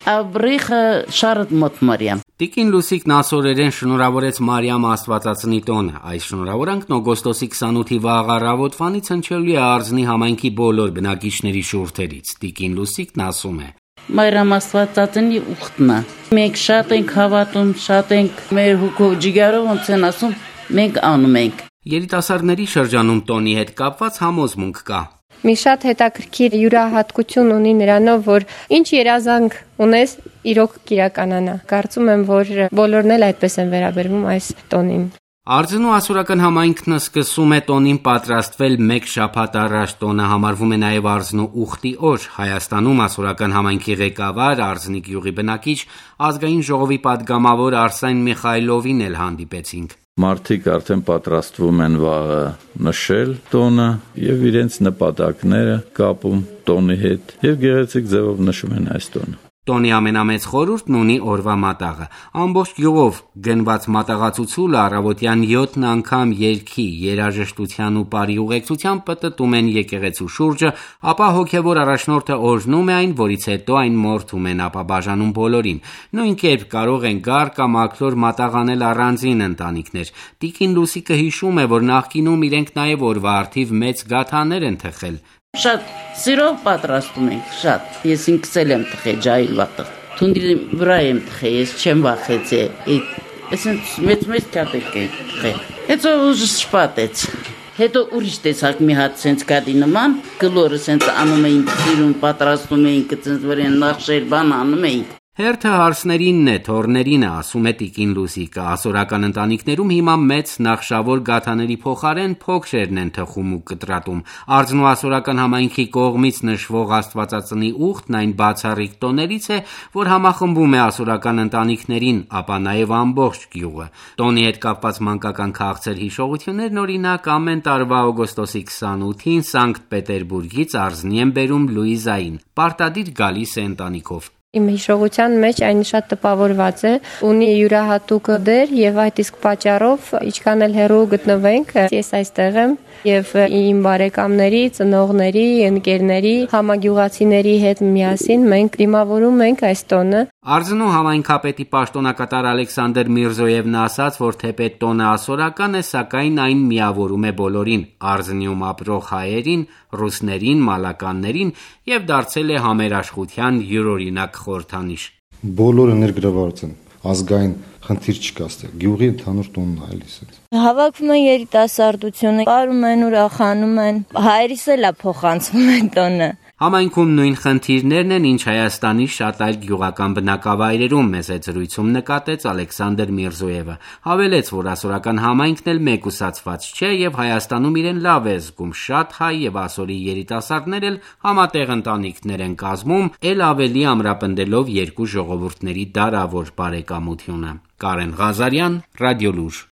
Աբրիխը շարդ մոտ Մարիամ։ Տիկին Լուսիկ Նասորերեն շնորհավորեց Մարիամ Աստվածածնի տոնը։ Այս շնորհավորանքն օգոստոսի 28-ի վաղ առավոտվանից հնչելու է Արձնի համայնքի բոլոր բնակիչների շուրթերից։ Տիկին Լուսիկն ասում է. Մարիամ Աստվածածնի ուխտնա։ Մենք շատ ենք հավատում, շատ ենք մեր հոգով ջիգարով ոնց են ասում, մենք անում ենք։ Երիտասարդների շրջանում տոնի հետ կապված համոզմունք կա։ Մի շատ հետաքրքիր յուրահատկություն ունի նրանով, որ ինչ երազանք ունես, իրոք կիրականանա։ Կարծում եմ, որ բոլորն էլ այդպես են վերաբերվում այս տոնին։ Արձնու ասորական համայնքն սկսում է տոնին պատրաստվել մեկ շաբաթ առաջ։ Տոնը համարվում է նաև Արձնու ուխտի օր։ Հայաստանում ասորական համայնքի ղեկավար, Արձնի գյուղի բնակիչ, ազգային ժողովի պատգամավոր Արսեն Միխայլովին էլ հանդիպեցինք։ Մարդիկ արդեն պատրաստվում են վաղը նշել տոնը եւ իրենց նպատակները կապում տոնի հետ եւ գեղեցիկ ձևով նշում են այս տոնը։ Տոնի ամենամեծ խորհուրդն ունի օրվա մատաղը։ Ամբողջ գյուղով գնված մատաղացուցուլը առավոտյան 7 անգամ երգի, երաժշտության ու բարի ուղեկցության պտտում են եկեղեցու շուրջը, ապա հոգևոր առաջնորդը օրհնում է այն, որից հետո այն մորթում են, ապա բաժանում բոլորին։ Նույն կերպ կարող են գար կամ աքլոր մատաղ անել առանձին ընտանիքներ։ Տիկին Լուսիկը հիշում է, որ նախկինում իրենք նաև օրվա առթիվ մեծ գաթաներ են թխել։ Շատ սիրով պատրաստում ենք, շատ։ Ես ինքս էլ եմ թխել ջահիլ վատը։ Թունդի վրա եմ թխել, ես չեմ վախեցել։ Այսինքն մեծ կատակ եմ թխել։ Հետո ուժը շպատեց։ Հետո ուրիշ տեսակ մի հատ սենց գադի նման, գլորը սենց անում էինք, սիրուն պատրաստում էինք, սենց վրան նախշել բան անում էինք։ Հերթը հարսներինն է, թորներին է, ասում է Տիկին Լուսիկը։ Ասորական ընտանիքներում հիմա մեծ նախշավոր գաթաների փոխարեն փոքրերն են թխում ու կտրատում։ Արձնու ասորական համայնքի կողմից նշվող Աստվածածնի ուխտն այն բացառիկ տոներից է, որ համախմբում է ասորական ընտանիքներին, ապա նաև ամբողջ գյուղը։ Տոնի հետ կապված մանկական քաղցր հիշողություններն օրինակ ամեն տարվա օգոստոսի 28-ին Սանկտ Պետերբուրգից Արձնի են բերում Լուիզային։ Պարտադիր գալիս է ընտանիքով։ Իմ հիշողության մեջ այն շատ տպավորված է, ունի յուրահատուկ դեր եւ այդ իսկ պատճառով ինչքան էլ հեռու գտնվենք, ես այստեղ եմ եւ իմ բարեկամների, ծնողների, ընկերների, համագյուղացիների հետ միասին մենք դիմավորում ենք այս տոնը։ Արձնու համայնքապետի պաշտոնակատար Ալեքսանդր Միրզոևն ասաց, որ թեպետ տոնը ասորական է, սակայն այն միավորում է բոլորին՝ Արձնիում ապրող հայերին, ռուսներին, մալականներին եւ դարձել է համերաշխության յուրօրինակ խորհրդանիշ։ Բոլորը ներգրավված են, ազգային խնդիր չկա ստեղ, գյուղի ընդհանուր տոնն է այլիս։ Հավաքվում են երիտասարդությունը, կարում են, ուրախանում են, հայրիս էլ է փոխանցվում են տոնը։ Համայնքում նույն խնդիրներն են, ինչ Հայաստանի շատ այլ գյուղական բնակավայրերում, մեծ զրույցում նկատեց Ալեքսանդր Միրզոևը։ Հավելեց, որ ասորական համայնքն էլ մեկուսացված չէ եւ Հայաստանում իրեն լավ է զգում, շատ հայ եւ ասորի երիտասարդներ էլ համատեղ ընտանիքներ են կազմում, ել ավելի ամրապնդելով երկու ժողովուրդների դարավոր բարեկամությունը։ Կարեն Ղազարյան, Ռադիոլուր։